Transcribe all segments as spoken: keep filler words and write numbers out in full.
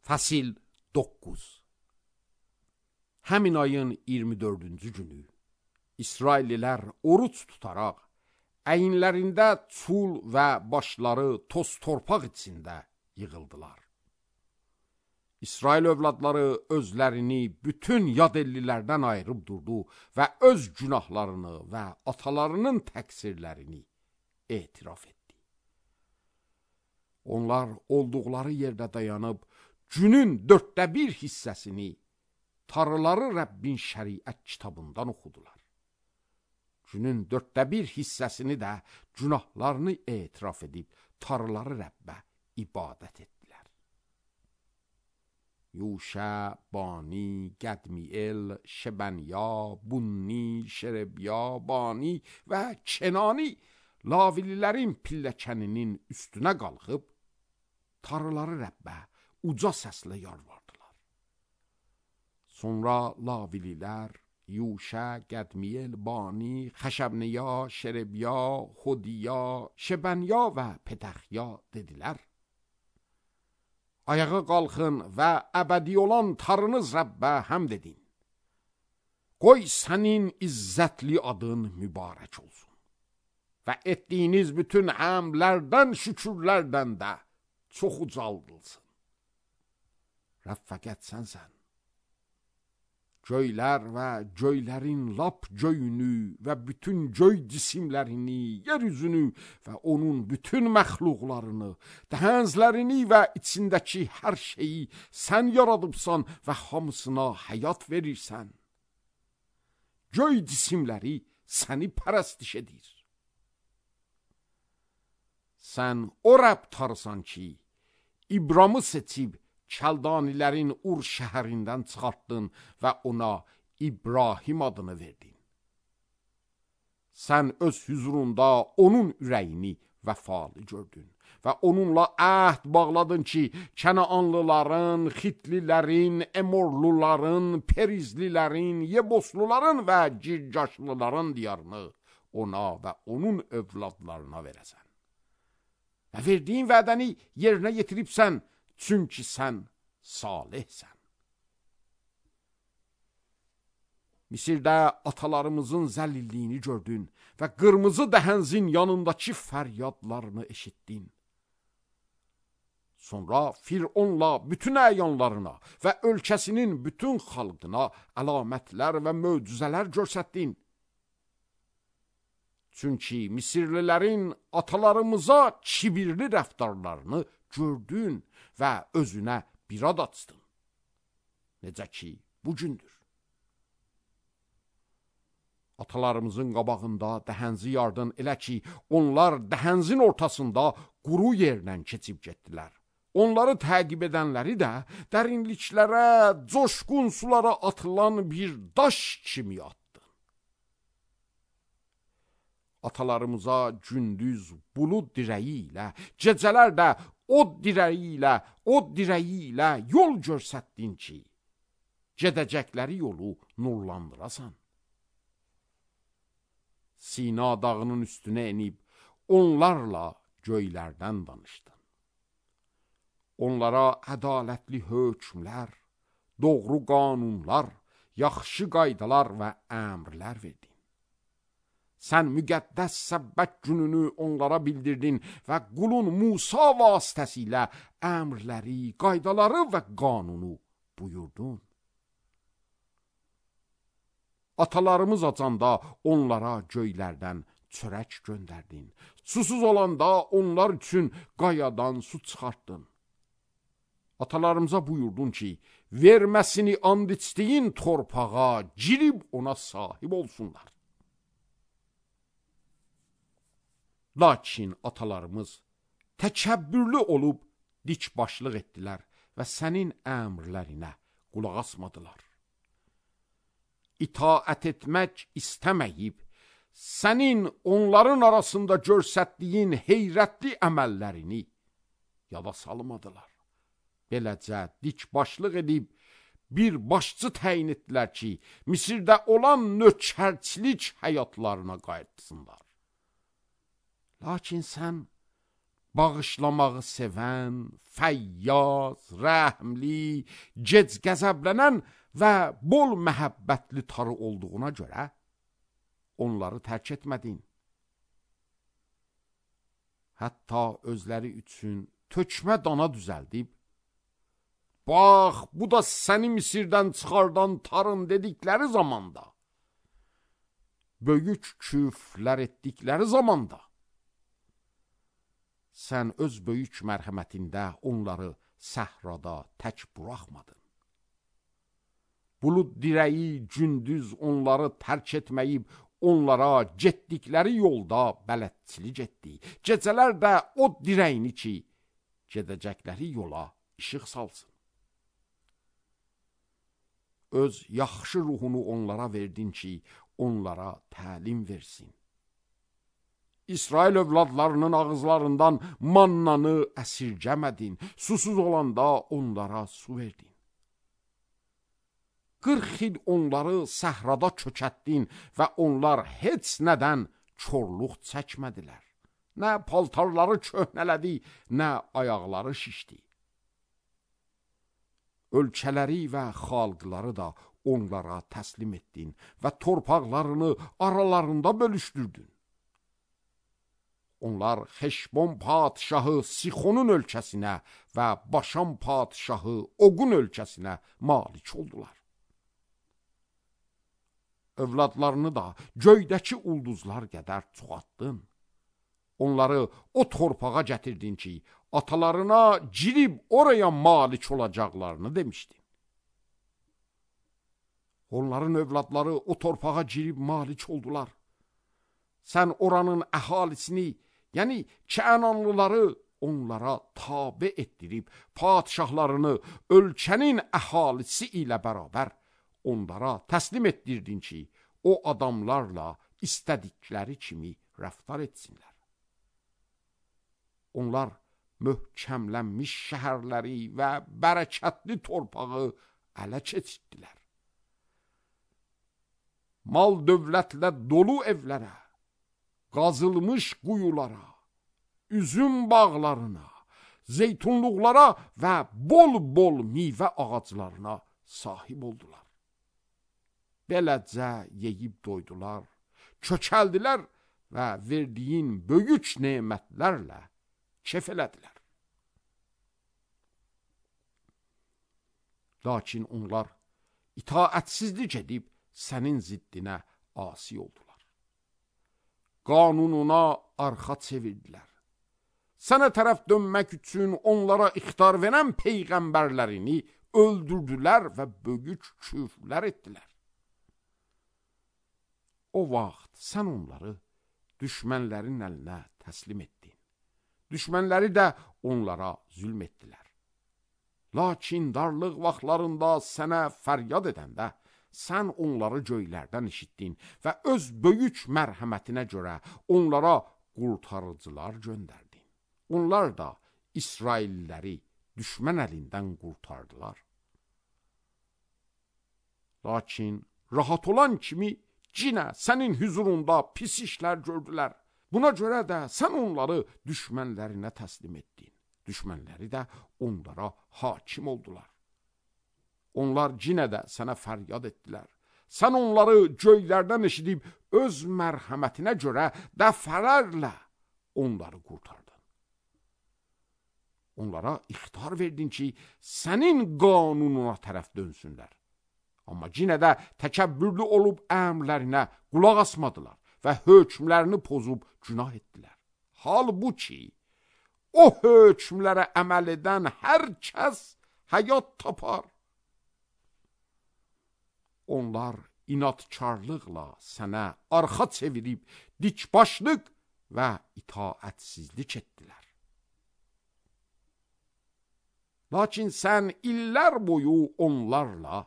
Fəsil doqquz. Həmin ayın iyirmi dördüncü günü İsraillilər oruç tutaraq, əyinlərində çul və başları toz torpaq içində yığıldılar. İsrail övladları özlərini bütün yad ellilərdən ayırıb durdu və öz günahlarını və atalarının təqsirlərini etiraf etdi. Onlar olduqları yerdə dayanıb, günün dörddə bir hissəsini Tanrıları Rəbbin şəriət kitabından oxudular. Günün dörddə bir hissəsini də günahlarını etiraf edib, Tanrıları Rəbbə ibadət etdilər. Yuşə, Bani, Qədmiel, Şebanya, Bunni, Şerebya, Bani və Kenani Lavililərin pilləkəninin üstünə qalxıb, Tanrıları Rəbbə uca səslə yalvardılar. Sonra Lavililər Yuşə, Qədmiel, Bani, Xəşəbniya, Şerebya, Hodiya, Şebanya və Pedəxya dedilər: Ayağa qalxın və əbədi olan Tanrınız Rəbbə həmd edin. Qoy sənin izzətli adın mübarək olsun və etdiyiniz bütün həmdlərdən, şükürlərdən də çox ucaldılsın. Rəbb fəqət sənsən. Göylər və göylərin lap göyünü və bütün göy cisimlərini, yeryüzünü və onun bütün məxluqlarını, dəhənzlərini və içindəki hər şeyi sən yaradıbsan və hamısına həyat verirsən. Göy cisimləri səni pərəstiş edir. Sən o Rəbb Tanrısan ki, İbramı seçib, Kəldanilərin Ur şəhərindən çıxartdın və ona İbrahim adını verdin. Sən öz hüzurunda onun ürəyini vəfalı gördün və onunla əhd bağladın ki, Kənaanlıların, Xitlilərin, Emorluların, Perizlilərin, Yebosluların və Girgaşlıların diyarını ona və onun övladlarına verəsən. Və verdiyin vədəni yerinə yetiribsən, çünki sən salihsən. Misirdə atalarımızın zəllilliyini gördün və qırmızı dəhənzin yanındakı fəryadlarını eşitdin. Sonra Fironla bütün əyanlarına və ölkəsinin bütün xalqına əlamətlər və möcüzələr göstərdin. Çünki Misirlilərin atalarımıza kibirli rəftarlarını gördün və özünə bir ad açdın. Necə ki, bugündür. Atalarımızın qabağında dəhənzi yardın, elə ki, onlar dəhənzin ortasında quru yerlə keçib getdilər. Onları təqib edənləri də dərinliklərə, coşqun sulara atılan bir daş kimi atdı. Atalarımıza gündüz bulud dirəyi ilə, gecələr də od dirəyi ilə, od dirəyi ilə yol göstərdin ki, gedəcəkləri yolu nurlandırasan. Sina dağının üstünə enib, onlarla göylərdən danışdın. Onlara ədalətli hökmlər, doğru qanunlar, yaxşı qaydalar və əmrlər verdin. Sən müqəddəs səbbət gününü onlara bildirdin və qulun Musa vasitəsilə əmrləri, qaydaları və qanunu buyurdun. Atalarımız acanda onlara göylərdən çörək göndərdin. Susuz olanda onlar üçün qayadan su çıxartdın. Atalarımıza buyurdun ki, verməsini and içdiyin torpağa girib ona sahib olsunlar. Lakin atalarımız təkəbbürlü olub dik başlıq etdilər və sənin əmrlərinə qulaq asmadılar. İtaət etmək istəməyib, sənin onların arasında göstərdiyin heyrətli əməllərini yada salmadılar. Beləcə dik başlıq edib bir başçı təyin etdilər ki, Misirdə olan nökərçilik həyatlarına qayıtsınlar. Lakin sən bağışlamağı sevən, fəyyaz, rəhmli, gec qəzəblənən və bol məhəbbətli tarı olduğuna görə onları tərk etmədin. Hətta özləri üçün tökmə dana düzəldib, bax, bu da səni Misirdən çıxardan tarın dedikləri zamanda, böyük küfrlər etdikləri zamanda, sən öz böyük mərhəmətində onları səhrada tək buraxmadın. Bulud dirəyi gündüz onları tərk etməyib, onlara getdikləri yolda bələdçilik etdi. Gecələr də o dirəyini ki, gedəcəkləri yola işıq salsın. Öz yaxşı ruhunu onlara verdin ki, onlara təlim versin. İsrail övladlarının ağızlarından mannanı əsirgəmədin, susuz olanda onlara su verdin. qırx il onları səhrada kökətdin və onlar heç nədən çorluq çəkmədilər. Nə paltarları köhnələdi, nə ayaqları şişdi. Ölkələri və xalqları da onlara təslim etdin və torpaqlarını aralarında bölüşdürdün. Onlar Xeşbon padişahı Sixonun ölkəsinə və Başan padişahı Oqun ölkəsinə malik oldular. Övladlarını da göydəki ulduzlar qədər çoxaltdın. Onları o torpağa gətirdin ki, atalarına girib oraya malik olacaqlarını demişdin. Onların övladları o torpağa girib malik oldular. Sən oranın əhalisini, yəni Kəananlıları onlara tabe etdirib, padişahlarını ölkənin əhalisi ilə bərabər onlara təslim etdirdin ki, o adamlarla istədikləri kimi rəftar etsinlər. Onlar möhkəmlənmiş şəhərləri və bərəkətli torpağı ələ keçirdilər. Mal dövlətlə dolu evlərə, qazılmış quyulara, üzüm bağlarına, zeytunluqlara və bol-bol meyvə ağaclarına sahib oldular. Beləcə yeyib doydular, kökəldilər və verdiyin böyük nemətlərlə kef elədilər. Lakin onlar itaətsizlik edib sənin ziddinə asi oldular. Qanununa arxa çevirdilər. Sənə tərəf dönmək üçün onlara ixtar verən peyğəmbərlərini öldürdülər və böyük küfrlər etdilər. O vaxt sən onları düşmənlərin əlinə təslim etdin. Düşmənləri də onlara zülm etdilər. Lakin darlıq vaxtlarında sənə fəryad edəndə, sən onları göylərdən eşitdin və öz böyük mərhəmətinə görə onlara qurtarıcılar göndərdin. Onlar da İsrailləri düşmən əlindən qurtardılar. Lakin rahat olan kimi cinə sənin hüzurunda pis işlər gördülər. Buna görə də sən onları düşmənlərinə təslim etdin. Düşmənləri də onlara hakim oldular. Onlar cinə də sənə fəryad etdilər. Sən onları göylərdən eşidib öz mərhəmətinə görə dəfələrlə onları qurtardın. Onlara ixtar verdin ki, sənin qanununa tərəf dönsünlər. Amma cinə də təkəbbürlü olub əmrlərinə qulaq asmadılar və hökmlərini pozub günah etdilər. Halbuki o hökmlərə əməl edən hər kəs həyat tapar. Onlar inatkarlıqla sənə arxa çevirib dikbaşlıq və itaətsizlik etdilər. Lakin sən illər boyu onlarla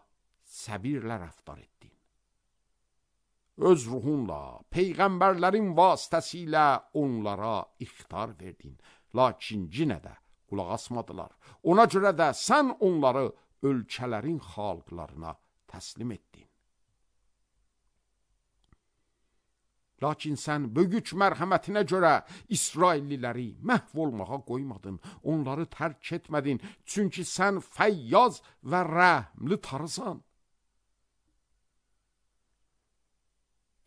səbirlə rəftar etdin. Öz ruhunla, peyğəmbərlərin vasitəsilə onlara ixtar verdin. Lakin cinə də qulaq asmadılar. Ona görə də sən onları ölkələrin xalqlarına təslim etdin. Lakin sən böyük mərhəmətinə görə İsrailliləri məhv olmağa qoymadın, onları tərk etmədin, çünki sən fəyyaz və rəhmli tarısan.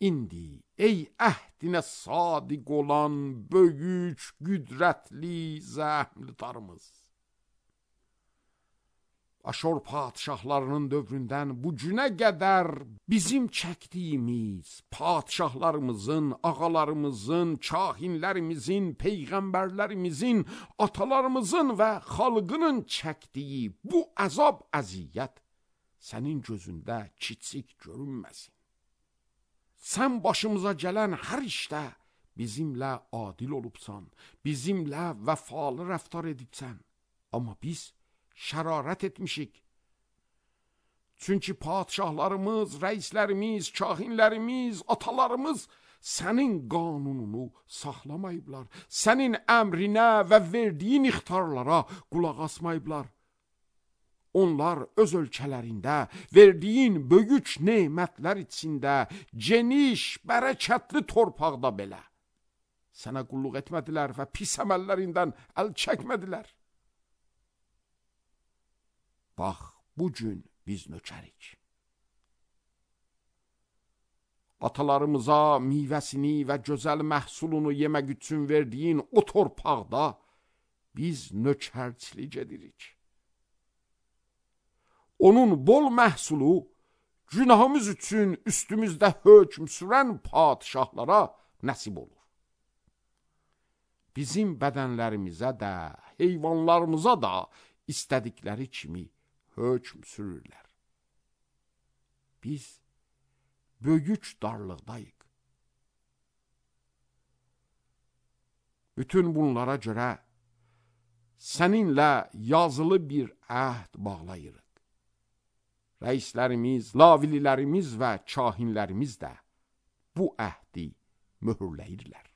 İndi ey əhdinə sadiq olan böyük, qüdrətli, zəhmli tarımız, Aşor padişahlarının dövründən bu günə qədər bizim çəkdiyimiz padişahlarımızın, ağalarımızın, kahinlərimizin, peyğəmbərlərimizin, atalarımızın və xalqının çəkdiyi bu əzab, əziyyət sənin gözündə kiçik görünməsin. Sən başımıza gələn hər işdə bizimlə adil olubsan, bizimlə vəfalı rəftar edibsən. Amma biz şərarət etmişik. Çünki padişahlarımız, rəislərimiz, kahinlərimiz, atalarımız sənin qanununu saxlamayıblar. Sənin əmrinə və verdiyin ixtarlara qulaq asmayıblar. Onlar öz ölkələrində verdiyin böyük nemətlər içində, geniş, bərəkətli torpaqda belə sənə qulluq etmədilər və pis əməllərindən əl çəkmədilər. Bax, bugün biz nökərik. Atalarımıza meyvəsini və gözəl məhsulunu yemək üçün verdiyin o torpaqda biz nökərçilik edirik. Onun bol məhsulu günahımız üçün üstümüzdə hökm sürən padişahlara nəsib olur. Bizim bədənlərimizə də, heyvanlarımıza da istədikləri kimi hökm sürürlər. Biz böyük darlıqdayıq. Bütün bunlara görə səninlə yazılı bir əhd bağlayırıq. Rəislərimiz, lavililərimiz və kahinlərimiz də bu əhdi möhürləyirlər.